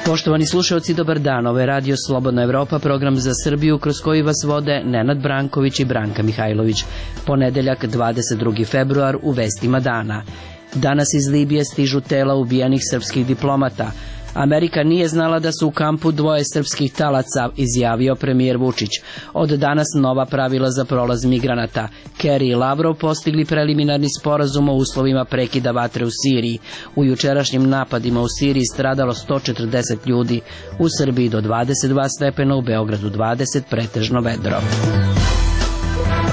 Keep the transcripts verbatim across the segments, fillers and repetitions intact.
Poštovani slušalci, dobar dan. Ovo je Radio Slobodna Evropa, program za Srbiju kroz koji vas vode Nenad Branković i Branka Mihajlović. Ponedeljak, dvadeset drugi februar, u vestima dana. Danas iz Libije stižu tela ubijenih srpskih diplomata. Amerika nije znala da su u kampu dvoje srpskih talaca, izjavio premijer Vučić. Od danas nova pravila za prolaz migranata. Kerry i Lavrov postigli preliminarni sporazum o uslovima prekida vatre u Siriji. U jučerašnjim napadima u Siriji stradalo sto četrdeset ljudi. U Srbiji do dvadeset dva stepena, u Beogradu dvadeset, pretežno vedro.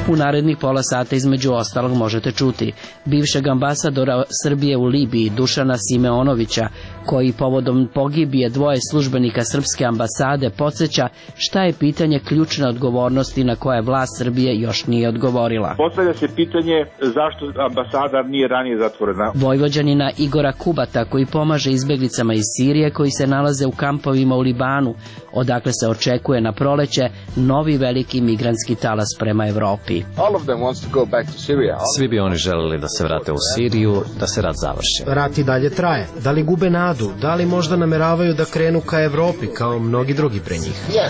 U narednih pola sata između ostalog možete čuti bivšeg ambasadora Srbije u Libiji Dušana Simeonovića, koji povodom pogibije dvoje službenika srpske ambasade podsjeća šta je pitanje ključne odgovornosti na koje vlast Srbije još nije odgovorila. Postavlja se pitanje zašto ambasada nije ranije zatvorena. Vojvođanina Igora Kubata, koji pomaže izbeglicama iz Sirije koji se nalaze u kampovima u Libanu, odakle se očekuje na proleće novi veliki migrantski talas prema Evropi. Svi bi oni želeli da se vrate u Siriju, da se rat završi. Rat i dalje traje. Da li gube nadu? Da li možda nameravaju da krenu ka Evropi kao mnogi drugi pre njih?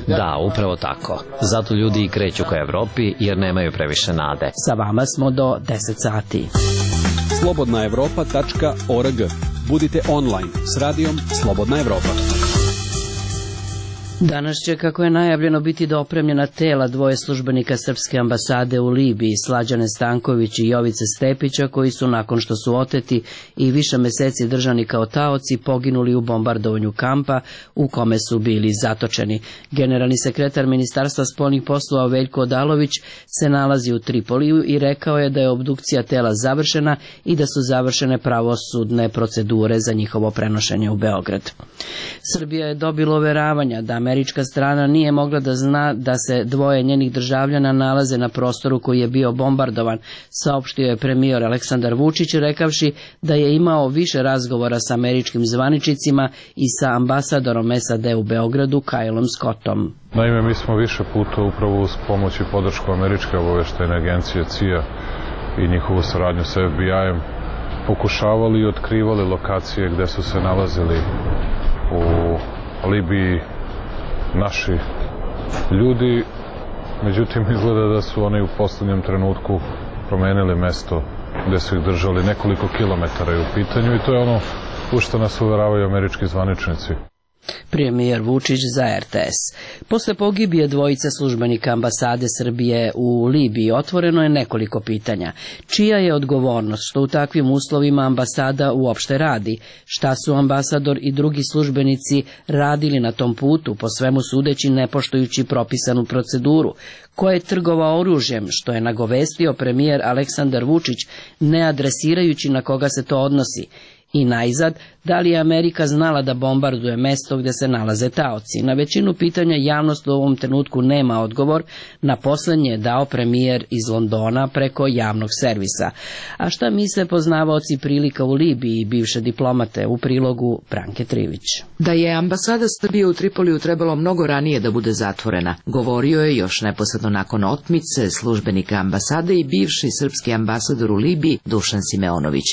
Da, upravo tako. Zato ljudi i kreću ka Evropi jer nemaju previše nade. Sa vama smo do deset sati. slobodna evropa tačka org. Budite online s radijom Slobodna Evropa. Danas će, kako je najavljeno, biti dopremljena tela dvoje službenika srpske ambasade u Libiji, Slađane Stanković i Jovice Stepića, koji su, nakon što su oteti i više meseci držani kao taoci, poginuli u bombardovanju kampa u kome su bili zatočeni. Generalni sekretar Ministarstva spoljnih poslova Veljko Odalović se nalazi u Tripoliju i rekao je da je obdukcija tela završena i da su završene pravosudne procedure za njihovo prenošenje u Beograd. Srbija je dobila uveravanja da američka strana nije mogla da zna da se dvoje njenih državljana nalaze na prostoru koji je bio bombardovan, saopštio je premijer Aleksandar Vučić, rekavši da je imao više razgovora sa američkim zvaničnicima i sa ambasadorom S A D u Beogradu, Kylom Scottom. Naime, mi smo više puta upravo uz pomoć i podršku američke obaveštajne agencije C I A i njihovu saradnju sa F B I-em pokušavali i otkrivali lokacije gde su se nalazili u Libiji naši ljudi, međutim izgleda da su oni u poslednjem trenutku promenili mesto gde su ih držali, nekoliko kilometara je u pitanju i to je ono u što nas uveravaju američki zvaničnici. Premijer Vučić za R T S. Posle pogibije dvojice službenika ambasade Srbije u Libiji otvoreno je nekoliko pitanja. Čija je odgovornost što u takvim uslovima ambasada uopšte radi? Šta su ambasador i drugi službenici radili na tom putu, po svemu sudeći ne poštujući propisanu proceduru? Ko je trgovao oružjem, što je nagovestio premijer Aleksandar Vučić, ne adresirajući na koga se to odnosi? I najzad, da li je Amerika znala da bombarduje mesto gde se nalaze taoci? Na većinu pitanja javnost u ovom trenutku nema odgovor, na poslednje je dao premijer iz Londona preko javnog servisa. A šta misle poznavaoci prilika u Libiji i bivše diplomate, u prilogu Branke Trivić? Da je ambasada Srbije u Tripoliju trebalo mnogo ranije da bude zatvorena, govorio je još neposredno nakon otmice službenika ambasade i bivši srpski ambasador u Libiji Dušan Simeonović.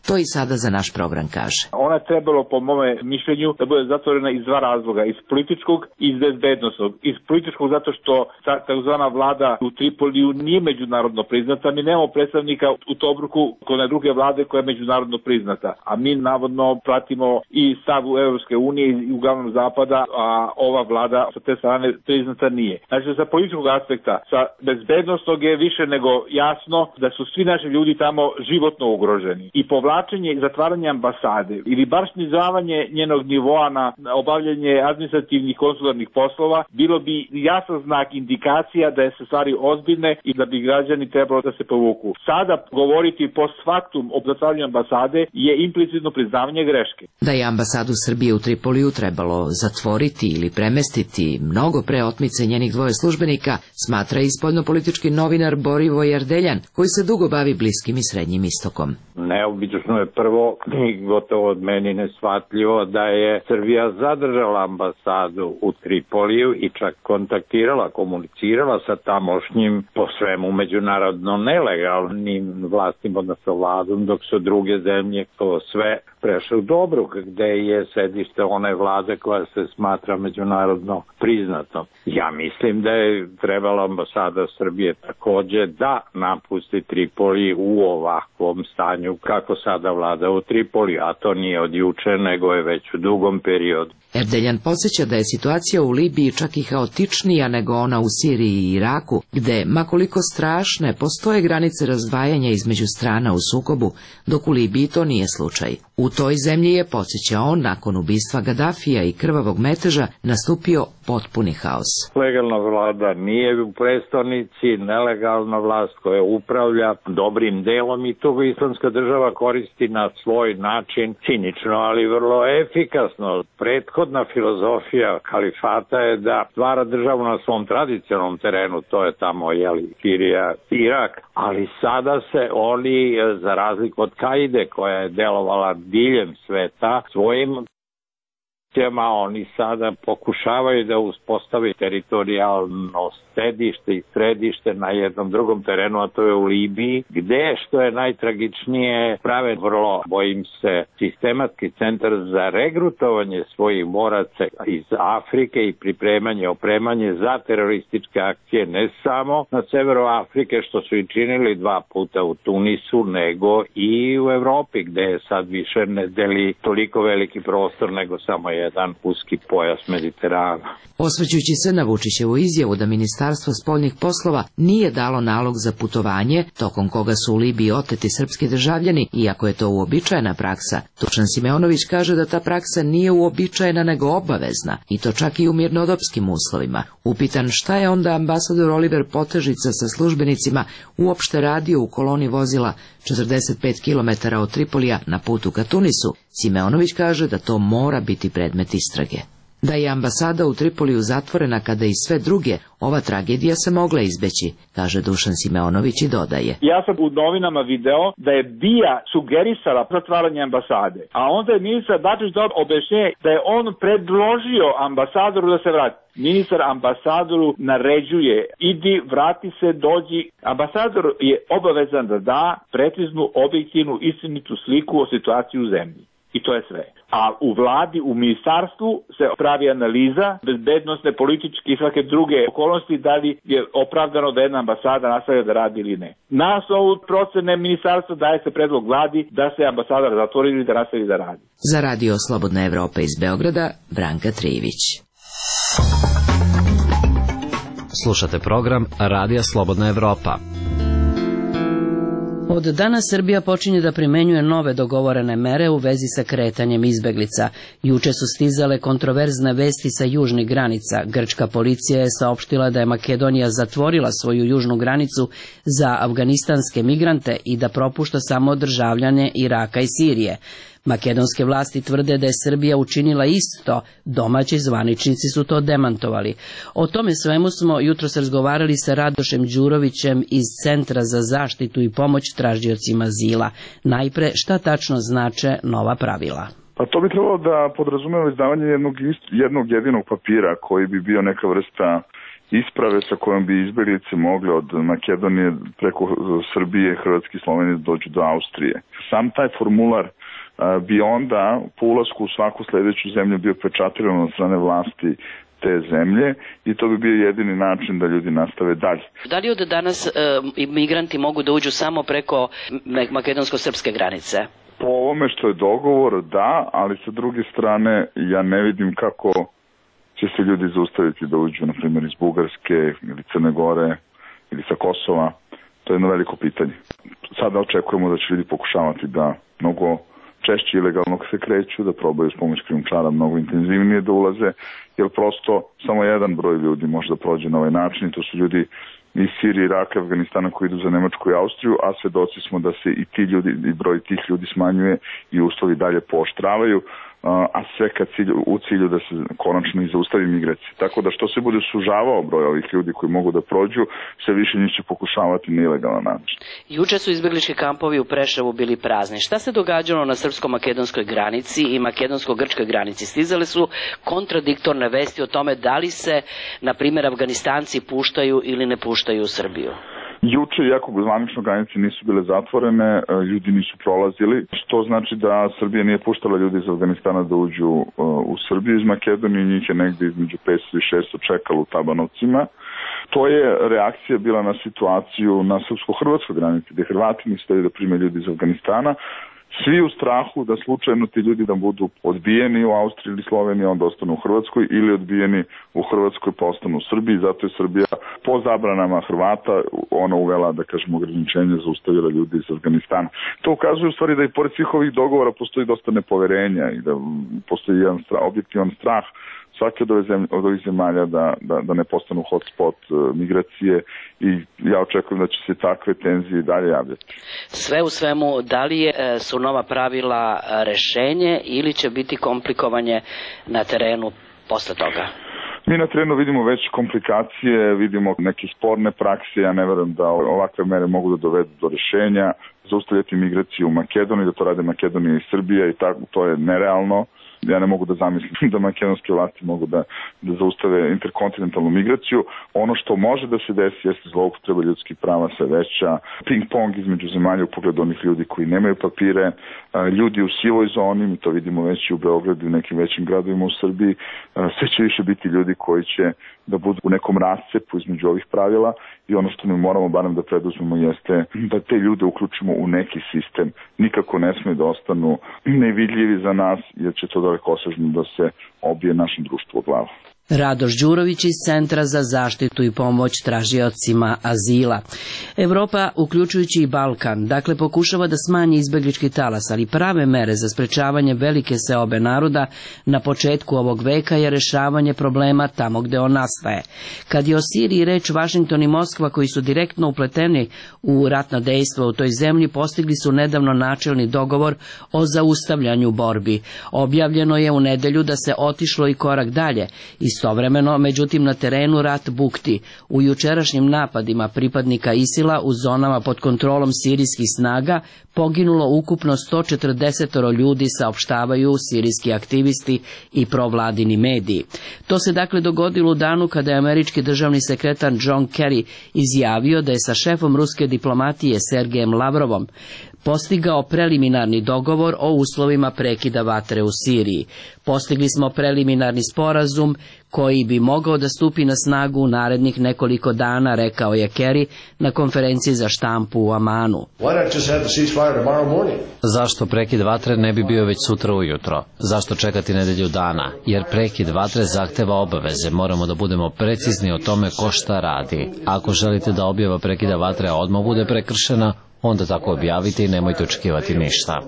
To i sada za naš program kaže. Ona je trebalo, po mome mišljenju, da bude zatvorena iz dva razloga, iz političkog i iz bezbednostnog. Iz političkog zato što ta takozvana vlada u Tripoliju nije međunarodno priznata, mi nemamo predstavnika u Tobruku kod druge vlade koja je međunarodno priznata, a mi navodno pratimo i stav u Evropske unije i uglavnom zapada, a ova vlada sa te strane priznata nije. Znači, sa političkog aspekta, sa bezbednostnog je više nego jasno da su svi naši ljudi tamo životno ugroženi. I povlačenje i zatvaranje ambasade ili bar snizavanje njenog nivoa na obavljanje administrativnih konsularnih poslova bilo bi jasan znak, indikacija da je se stvari ozbiljne i da bi građani trebalo da se povuku. Sada govoriti post factum o zatvaranju ambasade je implicitno priznavanje greške. Da je ambasadu Srbije u Tripoliju trebalo zatvoriti ili premestiti mnogo pre otmice njenih dvoje službenika, smatra i spoljnopolitički novinar Borivoje Erdeljan, koji se dugo bavi Bliskim i Srednjim istokom. Neobično je prvo mi gotovo od meni neshvatljivo da je Srbija zadržala ambasadu u Tripoliju i čak kontaktirala, komunicirala sa tamošnjim po svemu međunarodno nelegalnim vlastima, odnosno vladom, dok su druge zemlje to sve prešle u Dobruk, gde je sedište one vlade koja se smatra međunarodno priznatom. Ja mislim da je trebala ambasada Srbije takođe da napusti Tripoli u ovakvom stanju kako sada vlada u Tripoli, a to nije od juče, nego je već u dugom periodu. Erdeljan podsjeća da je situacija u Libiji čak i haotičnija nego ona u Siriji i Iraku, gde, makoliko strašne, postoje granice razdvajanja između strana u sukobu, dok u Libiji to nije slučaj. U toj zemlji je, podsjeća on, nakon ubistva Gadafija i krvavog meteža, nastupio potpuni haos. Legalna vlada nije u prestonici, nelegalna vlast koja upravlja dobrim delom i to islamska država koristi na svoj način, cinično, ali vrlo efikasno. Prethodna filozofija kalifata je da stvara državu na svom tradicionalnom terenu, to je tamo, jeli, Sirija, Irak, ali sada se oni, za razliku od Kaide, koja je delovala diljem sveta, svojim oni sada pokušavaju da uspostavi teritorijalno sedište i središte na jednom drugom terenu, a to je u Libiji, gde, što je najtragičnije, prave vrlo, bojim se, sistematski centar za regrutovanje svojih boraca iz Afrike i pripremanje, opremanje za terorističke akcije, ne samo na severu Afrike, što su i činili dva puta u Tunisu, nego i u Evropi, gde sad više ne deli toliko veliki prostor, nego samo jedan uski pojas Mediterana. Osvrćujući se na Vučićevu izjavu da Ministarstvo spoljnih poslova nije dalo nalog za putovanje, tokom koga su u Libiji oteti srpski državljani, iako je to uobičajena praksa, Dušan Simeonović kaže da ta praksa nije uobičajena nego obavezna, i to čak i u mirnodopskim uslovima. Upitan šta je onda ambasador Oliver Potežica sa službenicima uopšte radio u koloni vozila četrdeset pet kilometara od Tripolija na putu ka Tunisu, Simeonović kaže da to mora biti predmet istrage. Da je ambasada u Tripoliju zatvorena kada i sve druge, ova tragedija se mogla izbeći, kaže Dušan Simeonović i dodaje. Ja sam u novinama video da je B I A sugerisala zatvaranje ambasade, a onda je ministar Dačić dao objašnjenje da je on predložio ambasadoru da se vrati. Ministar ambasadoru naređuje, idi, vrati se, dođi. Ambasador je obavezan da da preciznu, objektivnu, istinitu sliku o situaciji u zemlji. I to je sve. A u vladi, u ministarstvu se pravi analiza bezbednosne, političke i svake druge okolnosti, da li je opravdano da jedna ambasada nastavlja da radi ili ne. Na osnovu procene ministarstva daje se predlog vladi da se ambasada zatvori ili da nastavi da radi. Za Radio Slobodna Evropa iz Beograda, Branka Trijević. Slušate program Radija Slobodna Evropa. Od danas Srbija počinje da primenjuje nove dogovorene mere u vezi sa kretanjem izbeglica. Juče su stizale kontroverzne vesti sa južnih granica. Grčka policija je saopštila da je Makedonija zatvorila svoju južnu granicu za afganistanske migrante i da propušta samo državljane Iraka i Sirije. Makedonske vlasti tvrde da je Srbija učinila isto, domaći zvaničnici su to demantovali. O tome svemu smo jutros razgovarali sa Radošem Đurovićem iz Centra za zaštitu i pomoć tražiocima azila. Najpre, šta tačno znače nova pravila? Pa to bi trebalo da podrazumeva izdavanje jednog, jednog jedinog papira koji bi bio neka vrsta isprave sa kojom bi izbeglice mogli od Makedonije preko Srbije, Hrvatske i Slovenije dođu do Austrije. Sam taj formular bi onda po ulasku u svaku sledeću zemlju bio pečatiran od strane vlasti te zemlje i to bi bio jedini način da ljudi nastave dalje. Da li od danas e, migranti mogu da uđu samo preko makedonsko-srpske granice? Po ovome što je dogovor, da, ali sa druge strane ja ne vidim kako će se ljudi zaustaviti da uđu, na primjer, iz Bugarske ili Crne Gore ili sa Kosova. To je jedno veliko pitanje. Sada očekujemo da će ljudi pokušavati da mnogo češće ilegalno se kreću, da probaju s pomoć krijumčara mnogo intenzivnije da ulaze, jer prosto samo jedan broj ljudi može da prođe na ovaj način i to su ljudi iz Sirije, Iraka, Afganistana koji idu za Nemačku i Austriju, a svedoci smo da se i ti ljudi, i broj tih ljudi smanjuje i uslovi dalje pooštravaju. a sve ka cilju, u cilju da se konačno i zaustavi migracije. Tako da što se bude sužavao broj ovih ljudi koji mogu da prođu, sve više njih će pokušavati na ilegalan način. Juče su izbeglički kampovi u Preševu bili prazni. Šta se događalo na srpsko-makedonskoj granici i makedonsko-grčkoj granici? Stizale su kontradiktorne vesti o tome da li se, na primjer, Afganistanci puštaju ili ne puštaju u Srbiju. Juče, iako zvanično granice nisu bile zatvorene, ljudi nisu prolazili, što znači da Srbija nije puštala ljudi iz Afganistana da uđu u Srbiju iz Makedonije, njih je negde između petsto i šesto čekalo u Tabanovcima. To je reakcija bila na situaciju na srpsko-hrvatskoj granici, gde Hrvati nisu hteli da prime ljudi iz Afganistana, svi u strahu da slučajno ti ljudi da budu odbijeni u Austriji ili Sloveniji, onda ostanu u Hrvatskoj, ili odbijeni u Hrvatskoj pa ostanu u Srbiji. Zato je Srbija po zabranama Hrvata ona uvela, da kažemo, ograničenje, zaustavila ljudi iz Afganistana. To ukazuje u stvari da i pored svih ovih dogovora postoji dosta nepoverenja i da postoji jedan strah, objektivan strah svake od, zemlje, od ovih zemalja da, da, da ne postanu hotspot uh, migracije i ja očekujem da će se takve tenzije i dalje javljati. Sve u svemu, da li je, su nova pravila rešenje ili će biti komplikovanje na terenu posle toga? Mi na terenu vidimo već komplikacije, vidimo neke sporne prakse, ja ne verujem da ovakve mere mogu da dovedu do rešenja, zaustavljati migraciju u Makedoniji, da to rade Makedonija i Srbija i tako, to je nerealno. Ja ne mogu da zamislim da makedonske vlasti mogu da, da zaustave interkontinentalnu migraciju. Ono što može da se desi jeste zloupotreba ljudskih prava sve veća, ping-pong između zemalja u pogledu onih ljudi koji nemaju papire, ljudi u sivoj zoni, mi to vidimo već i u Beogradu i u nekim većim gradovima u Srbiji, sve će više biti ljudi koji će da budu u nekom rascepu između ovih pravila i ono što mi moramo barem da preduzmemo jeste da te ljude uključimo u neki sistem. Nikako ne smije da ostanu nevidljivi za nas jer će to dalekosežno da se obije našem društvu o glavu. Radoš Đurović iz Centra za zaštitu i pomoć tražiocima azila. Evropa, uključujući i Balkan, dakle pokušava da smanji izbeglički talas, ali prave mere za sprečavanje velike seobe naroda na početku ovog veka je rešavanje problema tamo gde on nastaje. Kad je o Siriji reč, Vašington i Moskva, koji su direktno upleteni u ratna dejstva u toj zemlji, postigli su nedavno načelni dogovor o zaustavljanju borbi. Objavljeno je u nedelju da se otišlo i korak dalje. Istovremeno, međutim, na terenu rat bukti. U jučerašnjim napadima pripadnika ISIL-a u zonama pod kontrolom sirijskih snaga poginulo ukupno sto četrdeset ljudi, saopštavaju sirijski aktivisti i provladini mediji. To se dakle dogodilo u danu kada je američki državni sekretar John Kerry izjavio da je sa šefom ruske diplomatije Sergejem Lavrovom postigao preliminarni dogovor o uslovima prekida vatre u Siriji. Postigli smo preliminarni sporazum koji bi mogao da stupi na snagu u narednih nekoliko dana, rekao je Kerry na konferenciji za štampu u Amanu. Zašto prekid vatre ne bi bio već sutra ujutro? Zašto čekati nedelju dana? Jer prekid vatre zahteva obaveze. Moramo da budemo precizni o tome ko šta radi. Ako želite da objava prekida vatre odmah bude prekršena, onda tako objavite i nemojte očekivati ništa.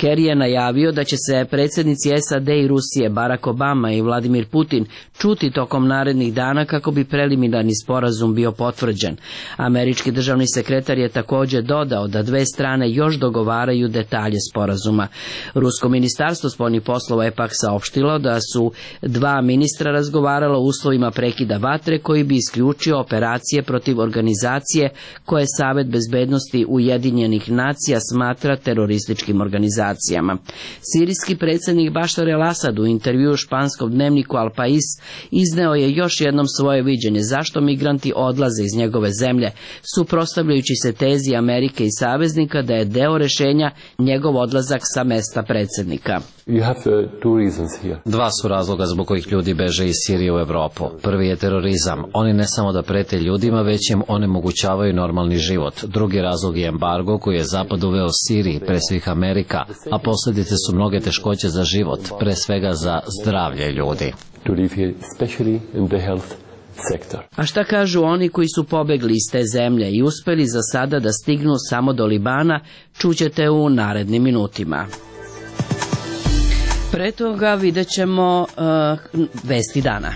Kerry je najavio da će se predsjednici S A D i Rusije Barack Obama i Vladimir Putin čuti tokom narednih dana kako bi preliminarni sporazum bio potvrđen. Američki državni sekretar je također dodao da dve strane još dogovaraju detalje sporazuma. Rusko ministarstvo spoljnih poslova je pak saopštilo da su dva ministra razgovarala o uslovima prekida vatre koji bi isključio operacije protiv organizacije koje Savet bezbednosti Ujedinjenih nacija smatra terorističkim organizacijama. Sirijski predsjednik Bašar el-Asad u intervjuu španskom dnevniku Al Pais izneo je još jednom svoje viđenje zašto migranti odlaze iz njegove zemlje, suprotstavljajući se tezi Amerike i saveznika da je deo rešenja njegov odlazak sa mesta predsjednika. Dva su razloga zbog kojih ljudi beže iz Sirije u Evropu. Prvi je terorizam. Oni ne samo da prete ljudima, već im onemogućavaju normalni život. Drugi razlog je embargo koji je Zapad uveo Siriji, pre svih Amerika, a posljedice su mnoge teškoće za život, pre svega za zdravlje ljudi. A šta kažu oni koji su pobegli iz te zemlje i uspeli za sada da stignu samo do Libana, čućete u narednim minutima. Pre toga vidjet ćemo uh, vesti dana.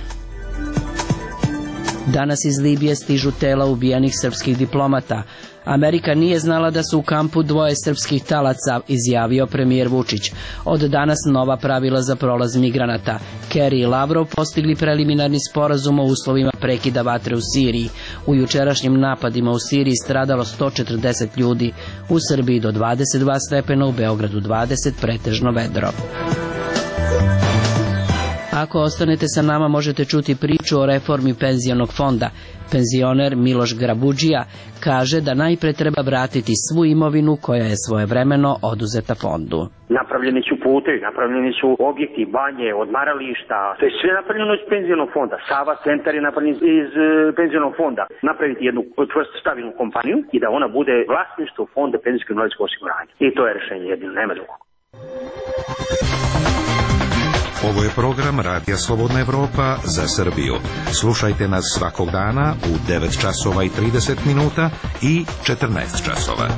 Danas iz Libije stižu tela ubijenih srpskih diplomata. Amerika nije znala da su u kampu dvoje srpskih talaca, izjavio premijer Vučić. Od danas nova pravila za prolaz migranata. Kerry i Lavrov postigli preliminarni sporazum o uslovima prekida vatre u Siriji. U jučerašnjim napadima u Siriji stradalo sto četrdeset ljudi, u Srbiji do dvadeset dva stepena, u Beogradu dvadeset, pretežno vedro. Ako ostanete sa nama, možete čuti priču o reformi penzionog fonda. Penzioner Miloš Grabudžija kaže da najpre treba vratiti svu imovinu koja je svojevremeno oduzeta fondu. Napravljeni su putevi, napravljeni su objekti, banje, odmarališta, to je sve napravljeno iz penzionog fonda. Sava centar je napravljen iz penzionog fonda. Napraviti jednu čvrstu stabilnu kompaniju i da ona bude vlasništvo fonda penzijskog invalidskog osiguranja. I to je rešenje jedino, nema drugog. Ovo je program Radija Slobodna Evropa za Srbiju. Slušajte nas svakog dana u devet časova i trideset minuta i četrnaest časova.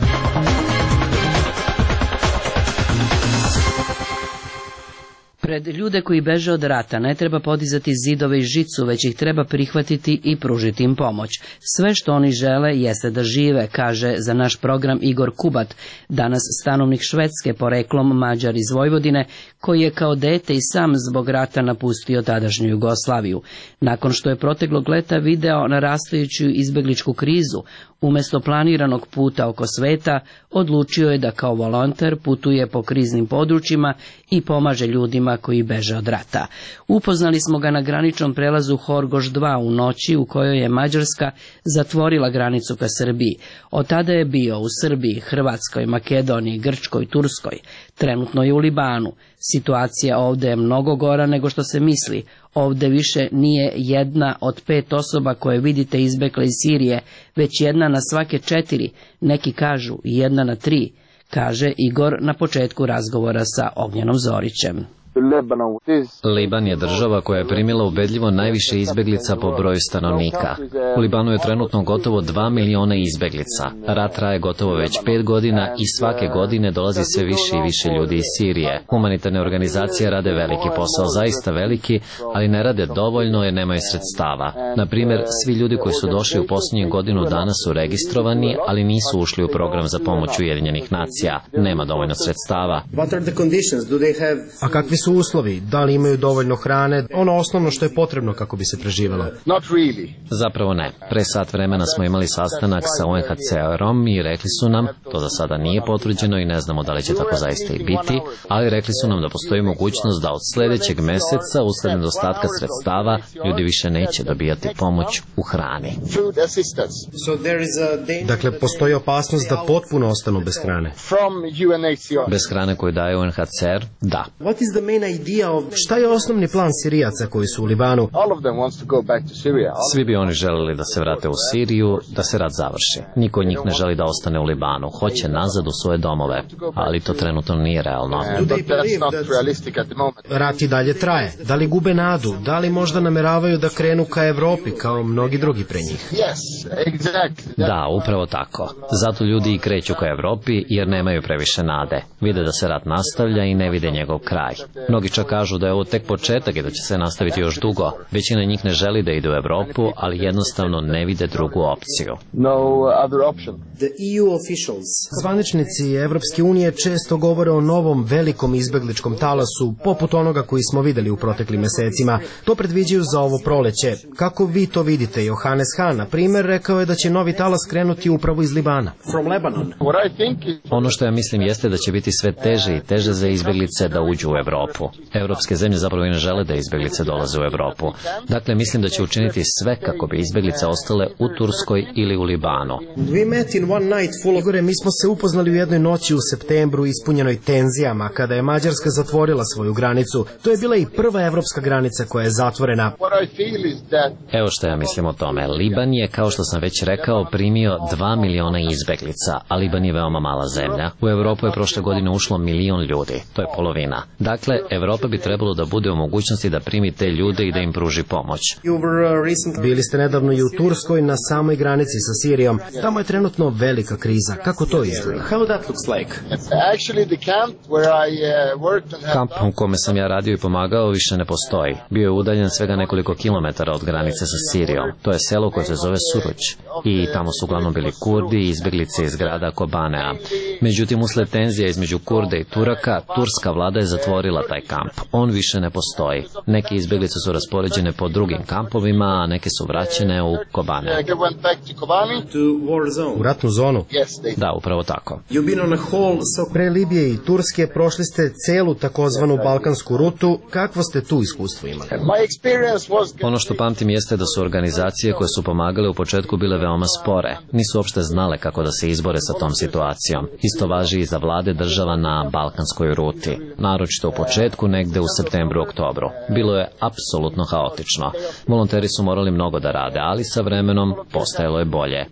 Pred ljude koji beže od rata ne treba podizati zidove i žicu, već ih treba prihvatiti i pružiti im pomoć. Sve što oni žele jeste da žive, kaže za naš program Igor Kubat, danas stanovnik Švedske, poreklom Mađar iz Vojvodine, koji je kao dete i sam zbog rata napustio tadašnju Jugoslaviju. Nakon što je proteklog leta video narastajuću izbegličku krizu, umesto planiranog puta oko sveta, odlučio je da kao volonter putuje po kriznim područjima i pomaže ljudima koji beže od rata. Upoznali smo ga na graničnom prelazu Horgoš dva u noći u kojoj je Mađarska zatvorila granicu ka Srbiji. Od tada je bio u Srbiji, Hrvatskoj, Makedoniji, Grčkoj, Turskoj. Trenutno je u Libanu. Situacija ovde je mnogo gora nego što se misli. Ovde više nije jedna od pet osoba koje vidite izbekle iz Sirije, već jedna na svake četiri, neki kažu jedna na tri, kaže Igor na početku razgovora sa Ognjenom Zorićem. Liban je država koja je primila ubedljivo najviše izbeglica po broju stanovnika. U Libanu je trenutno gotovo dva miliona izbeglica. Rat traje gotovo već pet godina i svake godine dolazi sve više i više ljudi iz Sirije. Humanitarne organizacije rade veliki posao, zaista veliki, ali ne rade dovoljno jer nemaju sredstava. Na primjer, svi ljudi koji su došli u posljednjih godinu dana su registrovani, ali nisu ušli u program za pomoć Ujedinjenih nacija. Nema dovoljno sredstava. A kakvi su uslovi? Da li imaju dovoljno hrane? Ono osnovno što je potrebno kako bi se preživelo? Zapravo ne. Pre sat vremena smo imali sastanak sa U N H C R-om i rekli su nam, to za sada nije potvrđeno i ne znamo da li će tako zaista i biti, ali rekli su nam da postoji mogućnost da od sljedećeg meseca, usled nedostatka sredstava, ljudi više neće dobijati pomoć u hrani. Dakle, postoji opasnost da potpuno ostanu bez hrane. Bez hrane koju daje U N H C R? Da. Šta je osnovni plan Sirijaca koji su u Libanu? Svi bi oni želeli da se vrate u Siriju, da se rat završi. Niko od njih ne želi da ostane u Libanu. Hoće nazad u svoje domove, ali to trenutno nije realno. Rat i dalje traje. Da li gube nadu? Da li možda nameravaju da krenu ka Evropi kao mnogi drugi pre njih? Da, upravo tako. Zato ljudi i kreću ka Evropi jer nemaju previše nade. Vide da se rat nastavlja i ne vide njegov kraj. Mnogi čak kažu da je ovo tek početak i da će se nastaviti još dugo. Većina njih ne želi da ide u Evropu, ali jednostavno ne vide drugu opciju. Zvaničnici Evropske unije često govore o novom velikom izbegličkom talasu, poput onoga koji smo videli u proteklim mesecima. To predviđaju za ovo proleće. Kako vi to vidite? Johannes Hahn, na primjer, rekao je da će novi talas krenuti upravo iz Libana. Ono što ja mislim jeste da će biti sve teže i teže za izbeglice da uđu u Evropu. Evropske zemlje zapravo i ne žele da izbeglice dolaze u Evropu. Dakle, mislim da će učiniti sve kako bi izbeglice ostale u Turskoj ili u Libanu. Igore, mi smo se upoznali u jednoj noći u septembru ispunjenoj tenzijama, kada je Mađarska zatvorila svoju granicu. To je bila i prva evropska granica koja je zatvorena. Evo što ja mislim o tome. Liban je, kao što sam već rekao, primio dva miliona izbeglica, a Liban je veoma mala zemlja. U Evropu je prošle godine ušlo milion ljudi. To je polovina. Dakle, Evropa bi trebalo da bude u mogućnosti da primi te ljude i da im pruži pomoć. Bili ste nedavno i u Turskoj na samoj granici sa Sirijom. Tamo je trenutno velika kriza. Kako to izgleda? Kamp u kome sam ja radio i pomagao više ne postoji. Bio je udaljen svega nekoliko kilometara od granice sa Sirijom. To je selo koje se zove Suruć. I tamo su uglavnom bili Kurdi i izbjeglice iz grada Kobanea. Međutim, usled tenzija između Kurda i Turaka, turska vlada je zatvorila taj kamp. On više ne postoji. Neke izbjeglice su raspoređene po drugim kampovima, a neke su vraćene u Kobane. U ratnu zonu? Da, upravo tako. Pre Libije i Turske prošli ste celu takozvanu balkansku rutu. Kakvo ste tu iskustvo imali? Ono što pamtim jeste da su organizacije koje su pomagale u početku bile veoma spore. Nisu uopšte znale kako da se izbore sa tom situacijom. Isto važi i za vlade država na balkanskoj ruti. Naročito u početku, negde u septembru, oktobru. Bilo je apsolutno haotično. Volonteri su morali mnogo da rade, ali sa vremenom postajalo je bolje.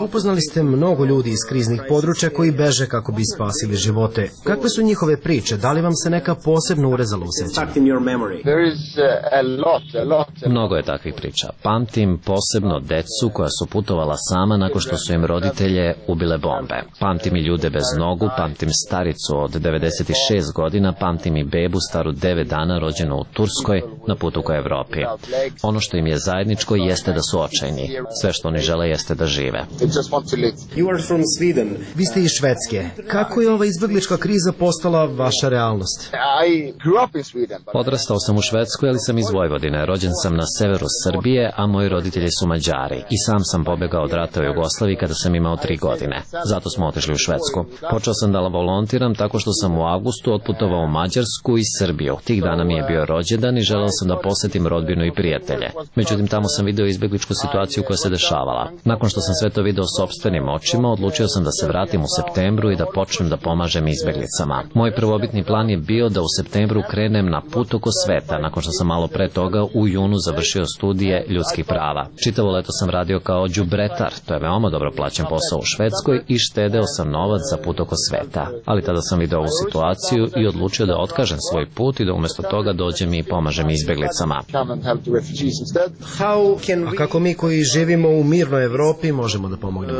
Upoznali ste mnogo ljudi iz kriznih područja koji beže kako bi spasili živote. Kakve su njihove priče? Da li vam se neka posebno urezala u sećanju? Mnogo je takvih priča. Pamtim posebno decu koja su putovala sama nakon što su im roditelje ubile bombe. Pamtim i ljude bez nogu, pamtim staricu od devedeset šest godina, pamtim i bebu staru devet dana rođenu u Turskoj na putu ka Evropi. Ono što im je zajedničko jeste da su očajni. Sve što oni žele jeste da žive. Vi ste iz Švedske. Kako je ova izbeglička kriza postala vaša realnost? Odrastao sam u Švedskoj, ali sam iz Vojvodine. Rođen sam na severu Srbije, a moji roditelji su Mađari. I sam sam pobegao od rata u Jugoslaviji kada sam imao tri godine. Zato smo otišli u Švedsku. Počeo sam da volontiram tako što sam u avgustu otputovao u Mađarsku i Srbiju. Tih dana mi je bio rođendan i želeo sam da posetim rodbinu i prijatelje. Međutim, tamo sam video izbegličku situaciju koja se dešavala. Nakon što sam sve to video sopstvenim očima, odlučio sam da se vratim u septembru i da počnem da pomažem izbeglicama. Moj prvobitni plan je bio da u septembru krenem na put oko sveta, nakon što sam malo pre toga u junu završio studije ljudskih prava. Čitavo leto sam radio kao đubretar, to je veoma dobro plaćen posao u Švedskoj i štedeo sam novac za put oko sveta. Ali tada sam video ovu situaciju i odlučio da otkažem svoj put i da umjesto toga dođem i pomažem izbeglicama. A kako mi koji živimo u mirnoj Evropi možemo da pomognemo?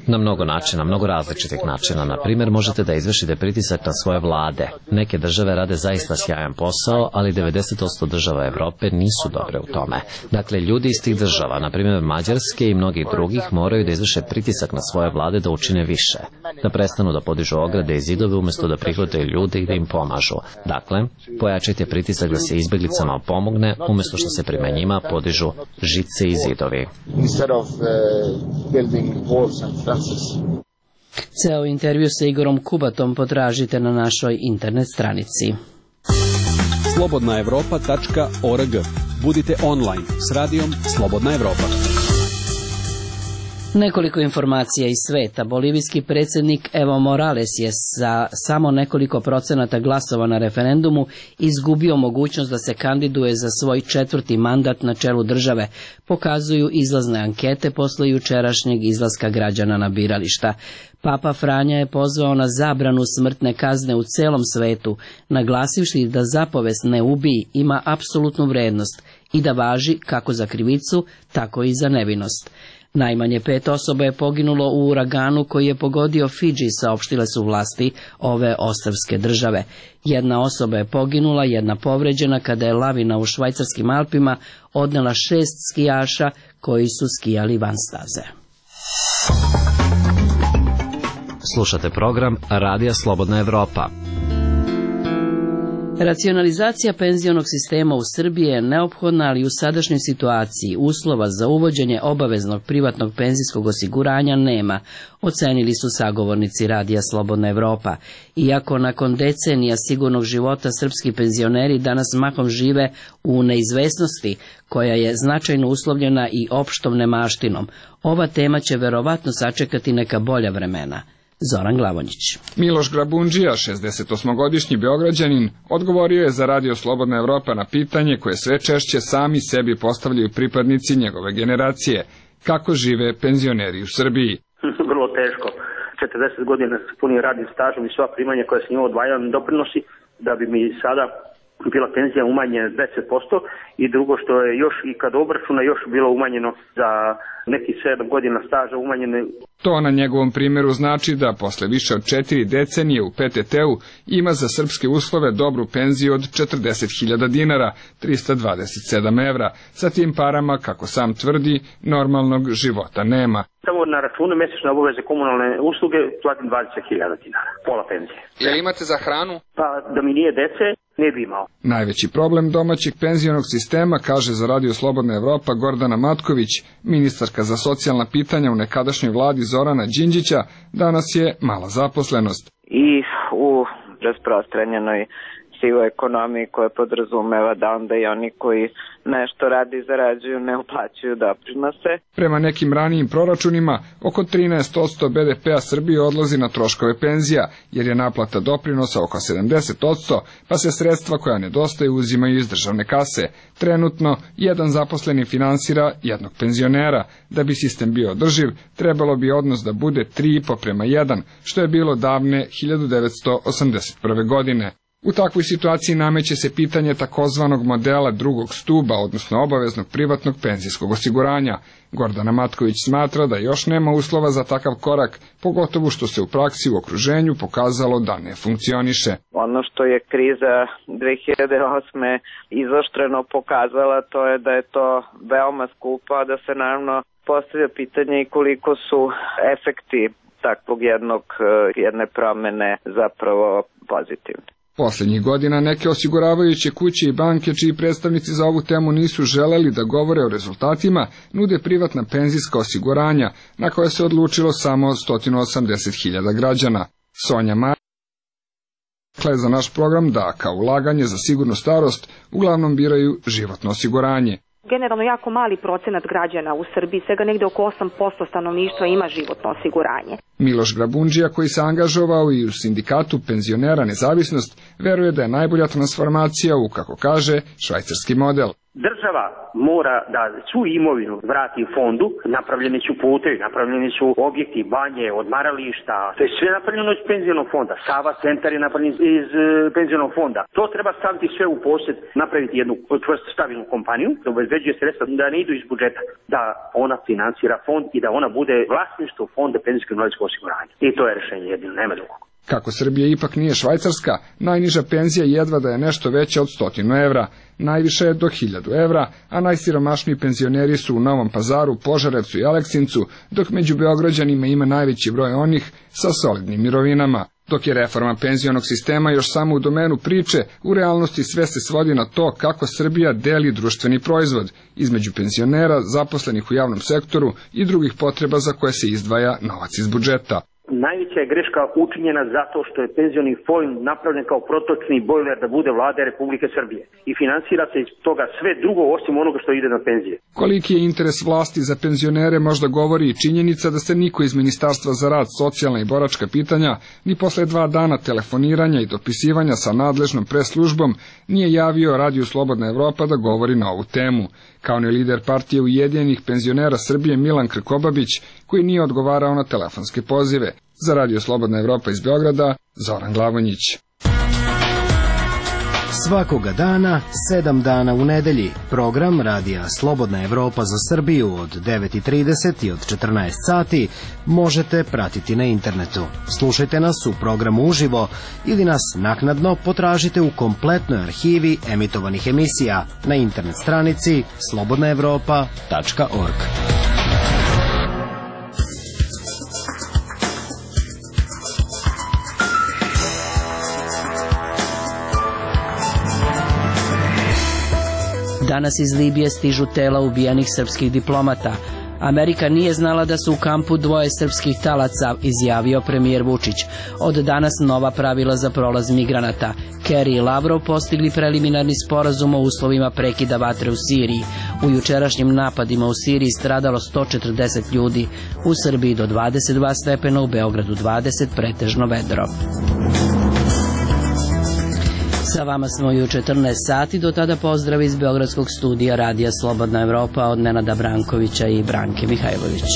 Na mnogo načina, mnogo različitih načina. Na primjer, možete da izvršite pritisak na svoje vlade. Neke države rade zaista sjajan posao, ali devedeset posto država Evrope nisu dobre u tome. Dakle, ljudi iz tih država, na primjer Mađarske i mnogih drugih, moraju da izvrše pritisak na svoje vlade da učine više. Da prestanu da podižu ograde i zidove umjesto da prihvataju ljude i da im pomažu. Dakle, pojačajte pritisak da se izbeglicama pomogne umjesto što se prema njima podižu žice i zidovi. Ceo intervju sa Igorom Kubatom potražite na našoj internet stranici. slobodna evropa tačka org. Budite online s radijom Slobodna Evropa. Nekoliko informacija iz sveta. Bolivijski predsjednik Evo Morales je sa samo nekoliko procenata glasova na referendumu izgubio mogućnost da se kandiduje za svoj četvrti mandat na čelu države, pokazuju izlazne ankete posle jučerašnjeg izlaska građana na birališta. Papa Franja je pozvao na zabranu smrtne kazne u celom svetu, naglasivši da zapovest ne ubij ima apsolutnu vrednost i da važi kako za krivicu, tako i za nevinost. Najmanje pet osoba je poginulo u uraganu koji je pogodio Fidži, saopštile su vlasti ove ostrvske države. Jedna osoba je poginula, jedna povređena kada je lavina u švajcarskim Alpima odnela šest skijaša koji su skijali van staze. Slušate program Radija Slobodna Evropa. Racionalizacija penzionog sistema u Srbiji je neophodna, ali u sadašnjoj situaciji uslova za uvođenje obaveznog privatnog penzijskog osiguranja nema, ocenili su sagovornici Radija Slobodna Evropa. Iako nakon decenija sigurnog života srpski penzioneri danas mahom žive u neizvesnosti, koja je značajno uslovljena i opštom nemaštinom, ova tema će verovatno sačekati neka bolja vremena. Zoran Glavonjić. Miloš Grabundžija, šezdesetosmogodišnji Beograđanin, odgovorio je za Radio Slobodna Evropa na pitanje koje sve češće sami sebi postavljaju pripadnici njegove generacije. Kako žive penzioneri u Srbiji? Vrlo teško. četrdeset godina s punim radnim stažom i sva primanja koja se njima odvajaju doprinosi, da bi mi sada bila penzija umanjena deset posto i drugo što je još i kad obračuna još bilo umanjeno za neki sedam godina staža umanjene. To na njegovom primjeru znači da posle više od četiri decenije u P T T-u ima za srpske uslove dobru penziju od četrdeset hiljada dinara, trista dvadeset sedam evra. Sa tim parama, kako sam tvrdi, normalnog života nema. Samo na računu mesečne obaveze komunalne usluge platim dvadeset hiljada dinara, pola penzije. Jel imate za hranu? Pa da mi nije dece, ne bi imao. Najveći problem domaćeg penzionog sistema, kaže za Radio Slobodna Evropa Gordana Matković, ministarka za socijalna pitanja u nekadašnjoj vladi Zorana Đinđića, danas je mala zaposlenost. I u rasprostranjenoj sivoj ekonomiji koja podrazumeva da onda i oni koji nešto radi i zarađuju ne uplaćuju doprinose. Prema nekim ranijim proračunima, oko trinaest posto B D P-a Srbije odlazi na troškove penzija, jer je naplata doprinosa oko sedamdeset posto, pa se sredstva koja nedostaju uzimaju iz državne kase. Trenutno, jedan zaposleni finansira jednog penzionera. Da bi sistem bio održiv, trebalo bi odnos da bude tri i po prema jedan, što je bilo davne hiljadu devetsto osamdeset prve. godine. U takvoj situaciji nameće se pitanje takozvanog modela drugog stuba, odnosno obaveznog privatnog penzijskog osiguranja. Gordana Matković smatra da još nema uslova za takav korak, pogotovo što se u praksi u okruženju pokazalo da ne funkcioniše. Ono što je kriza dve hiljade osme izoštreno pokazala, to je da je to veoma skupo, a da se naravno postavlja pitanje i koliko su efekti takvog jednog, jedne promene zapravo pozitivni. Poslednjih godina neke osiguravajuće kuće i banke, čiji predstavnici za ovu temu nisu želeli da govore o rezultatima, nude privatna penzijska osiguranja, na koje se odlučilo samo sto osamdeset hiljada građana. Sonja Mar rekla je za naš program da kao ulaganje za sigurnu starost uglavnom biraju životno osiguranje. Generalno jako mali procenat građana u Srbiji, svega negde oko osam posto stanovništva ima životno osiguranje. Miloš Grabundžija, koji se angažovao i u sindikatu penzionera Nezavisnost, veruje da je najbolja transformacija u, kako kaže, švajcarski model. Država mora da svu imovinu vrati fondu, napravljeni su putevi, napravljeni su objekti, banje, odmarališta, to je sve napravljeno iz penzionog fonda. Sava centar je napravljen iz e, penzionog fonda. To treba staviti sve u posjed, napraviti jednu čvrstu stabilnu kompaniju, da obezbeđuje sredstva da ne idu iz budžeta, da ona finansira fond i da ona bude vlasništvo fonda penzijskog invalidskog osiguranja. I to je rešenje jedino, nema drugog. Kako Srbija ipak nije Švajcarska, najniža penzija jedva da je nešto veća od stotinu evra, najviše je do hiljadu evra, a najsiromašniji penzioneri su u Novom Pazaru, Požarevcu i Aleksincu, dok među Beograđanima ima najveći broj onih sa solidnim mirovinama. Dok je reforma penzionog sistema još samo u domenu priče, u realnosti sve se svodi na to kako Srbija deli društveni proizvod između penzionera, zaposlenih u javnom sektoru i drugih potreba za koje se izdvaja novac iz budžeta. Najveća je greška učinjena zato što je penzioni fond napravljen kao protočni bojler da bude vlada Republike Srbije i finansira se iz toga sve drugo osim onoga što ide na penzije. Koliki je interes vlasti za penzionere možda govori i činjenica da se niko iz Ministarstva za rad, socijalna i boračka pitanja ni posle dva dana telefoniranja i dopisivanja sa nadležnom preslužbom nije javio Radiju Slobodna Evropa da govori na ovu temu. Kao ni lider partije Ujedinjenih penzionera Srbije Milan Krkobabić, koji nije odgovarao na telefonske pozive. Za Radio Slobodna Evropa iz Beograda, Zoran Glavonjić. Svakoga dana, sedam dana u nedelji, program Radija Slobodna Evropa za Srbiju od devet i trideset i od četrnaest sati možete pratiti na internetu. Slušajte nas u programu uživo ili nas naknadno potražite u kompletnoj arhivi emitovanih emisija na internet stranici slobodna evropa tačka org. Danas iz Libije stižu tela ubijenih srpskih diplomata. Amerika nije znala da su u kampu dvoje srpskih talaca, izjavio premijer Vučić. Od danas nova pravila za prolaz migranata. Kerry i Lavrov postigli preliminarni sporazum o uslovima prekida vatre u Siriji. U jučerašnjim napadima u Siriji stradalo sto četrdeset ljudi. U Srbiji do dvadeset dva stepena, u Beogradu dvadeset, pretežno vedro. Sa vama smo i u četrnaest sati, do tada pozdrav iz Beogradskog studija Radija Slobodna Evropa od Nenada Brankovića i Branke Mihajlović.